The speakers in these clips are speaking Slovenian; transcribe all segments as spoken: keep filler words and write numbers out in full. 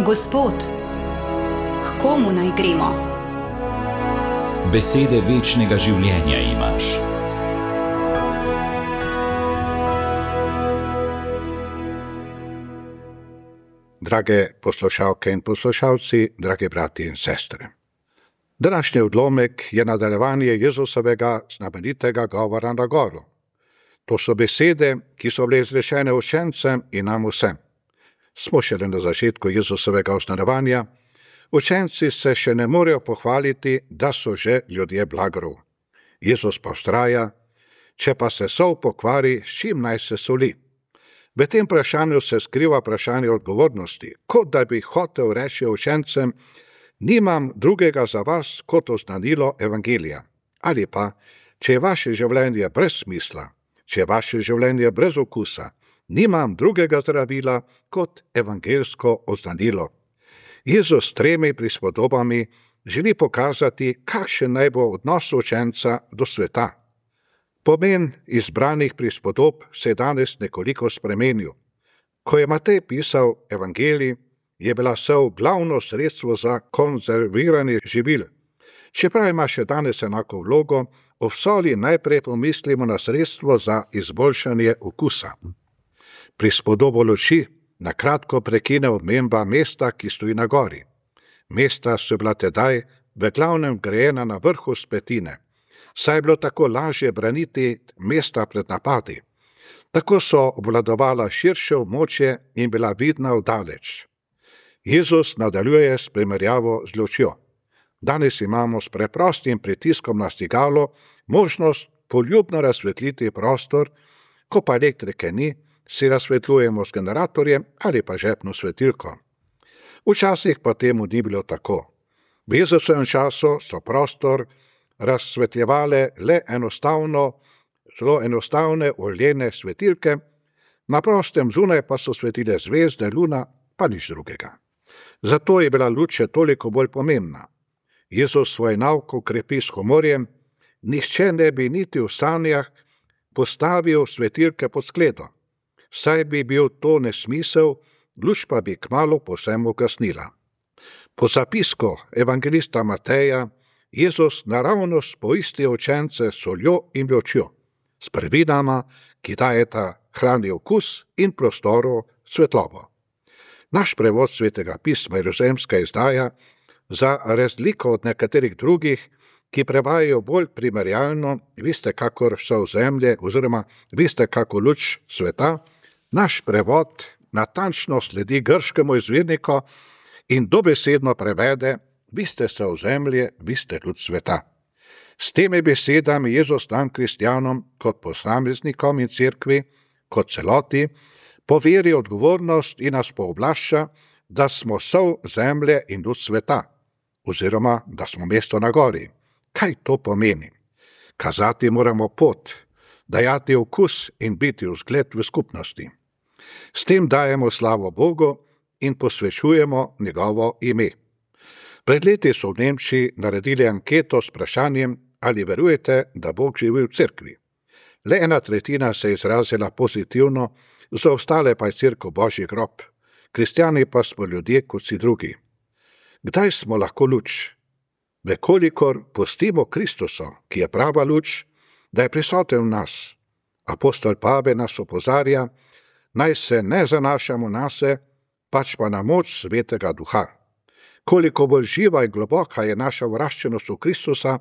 Gospod, k komu naj gremo? Besede večnega življenja imaš. Drage poslušalke in poslušalci, dragi brati in sestre. Današnji odlomek je nadaljevanje Jezusovega znamenitega govora na goru. To so besede, ki so bile izrečene učencem in nam vsem. Smo šele na začetku Jezusovega osnovanja, učenci se še ne morejo pohvaliti, da so že ljudje blagrov. Jezus pa vztraja, če pa se sol pokvari, s čim naj se soli? V tem vprašanju se skriva vprašanje odgovornosti, kot da bi hotel reči učencem, nimam drugega za vas kot oznanilo evangelija. Ali pa, če je vaše življenje brez smisla, če je vaše življenje brez okusa, nimam drugega zdravila kot evangelsko oznanilo. Jezus s tremi prispodobami želi pokazati, kakšen naj bo odnos učenca do sveta. Pomen izbranih prispodob se je danes nekoliko spremenil. Ko je Matej pisal evangelij, je bila sol glavno sredstvo za konzerviranje živil. Čeprav ima še danes enako vlogo, o soli najprej pomislimo na sredstvo za izboljšanje okusa. Prispodobo luči na kratko prekine omemba mesta, ki stoji na gori. Mesta so bila tedaj v glavnem grajena na vrhu vzpetine, saj je bilo tako lažje braniti mesta pred napadi. Tako so obvladovala širše območje in bila vidna vdaleč. Jezus nadaljuje s primerjavo z lučjo. Danes imamo s preprostim pritiskom na stigalo možnost poljubno razsvetliti prostor, ko pa elektrike ni, si razsvetljujemo s generatorjem ali pa žepno svetilko. Včasih pa temu ni bilo tako. V Jezusovem času so prostor razsvetljevale le enostavno, zelo enostavne oljene svetilke, na prostem zunaj pa so svetile zvezde, luna, pa nič drugega. Zato je bila luč še toliko bolj pomembna. Jezus svoj nauk krepi s humorjem, nihče ne bi niti v sanjah postavil svetilke pod skledo, saj bi bil to nesmisel, luč pa bi kmalu povsem ugasnila. Po zapisku evangelista Mateja Jezus naravnost poisti učence s soljo in lučjo, s prvinama, ki dajeta hrani okus in prostoru svetlobo. Naš prevod Svetega pisma Jeruzalemska izdaja, za razliko od nekaterih drugih, ki prevajajo bolj primerjalno, vi ste kakor sol zemlje oziroma vi ste kakor luč sveta, naš prevod natančno sledi grškemu izvirniku in dobesedno prevede, vi ste sol zemlje, vi ste luč sveta. S temi besedami Jezus nam kristjanom kot posameznikom in cerkvi, kot celoti, poveri odgovornost in nas pooblašča, da smo sol zemlje in luč sveta, oziroma da smo mesto na gori. Kaj to pomeni? Kazati moramo pot, dajati okus in biti vzgled v skupnosti. S tem dajemo slavo Bogu in posvečujemo njegovo ime. Pred leti so v Nemčiji naredili anketo s vprašanjem, ali verujete, da Bog živi v cerkvi. Le ena tretjina se je izrazila pozitivno, za ostale pa je cerkev Božji grob. Kristjani pa smo ljudje kot vsi drugi. Kdaj smo lahko luč? Vekolikor pustimo Kristusa, ki je prava luč, da je prisoten v nas. Apostol Pavel nas opozarja, naj se ne zanašamo nase, pač pa na moč Svetega Duha. Koliko bolj živa in globoka je naša vraščenost v Kristusa,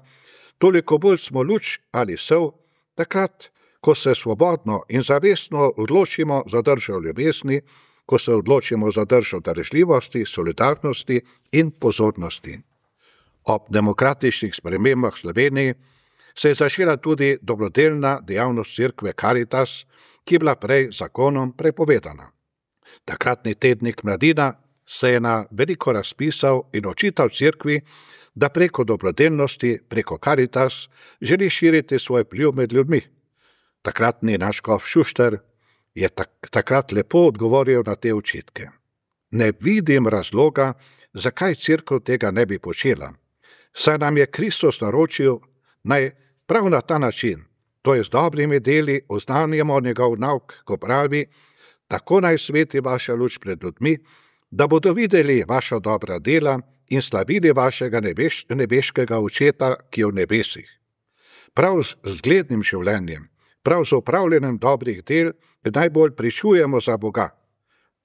toliko bolj smo luč ali sol, takrat, ko se svobodno in zavestno odločimo za držo ljubezni, ko se odločimo za držo darežljivosti, solidarnosti in pozornosti. Ob demokratičnih spremembah v Sloveniji se je začela tudi dobrodelna dejavnost cerkve Caritas, ki je bila prej zakonom prepovedana. Takratni tednik Mladina se je na veliko razpisal in očital cerkvi, da preko dobrodelnosti, preko Caritas, želi širiti svoj vpliv med ljudmi. Takratni naš škof Šušter je tak, takrat lepo odgovoril na te očitke. Ne vidim razloga, zakaj cerkev tega ne bi počela. Saj nam je Kristus naročil, naj prav na ta način, to je z dobrimi deli, oznanjamo njegov nauk, ko pravi, tako naj sveti vaša luč pred ljudmi, da bodo videli vaša dobra dela in slavili vašega nebeš, nebeškega očeta, ki je v nebesih. Prav z zglednim življenjem, prav z opravljanjem dobrih del, najbolj pričujemo za Boga.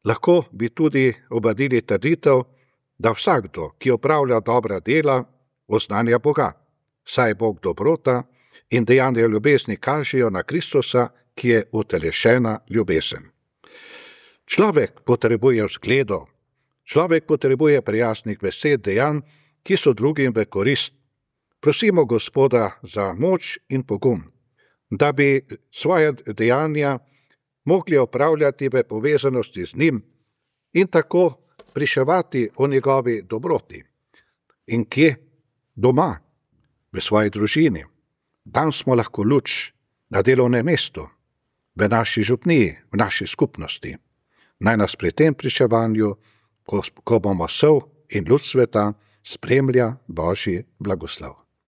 Lahko bi tudi obrnili trditev, da vsakdo, ki opravlja dobra dela, oznanja Boga, saj je Bog dobrota in dejanja ljubezni kažejo na Kristusa, ki je utelešena ljubezen. Človek potrebuje vzgledov, človek potrebuje prijaznih besed, dejanj, ki so drugim v korist. Prosimo Gospoda za moč in pogum, da bi svoje dejanja mogli opravljati v povezanosti z njim in tako pričevati o njegovi dobroti. In kje? Doma, v svoji družini. Tam smo lahko luč na delovnem mestu, v naši župniji, v naši skupnosti. Naj nas pri tem pričevanju, ko, ko bomo sol in luč sveta, spremlja Božji blagoslov.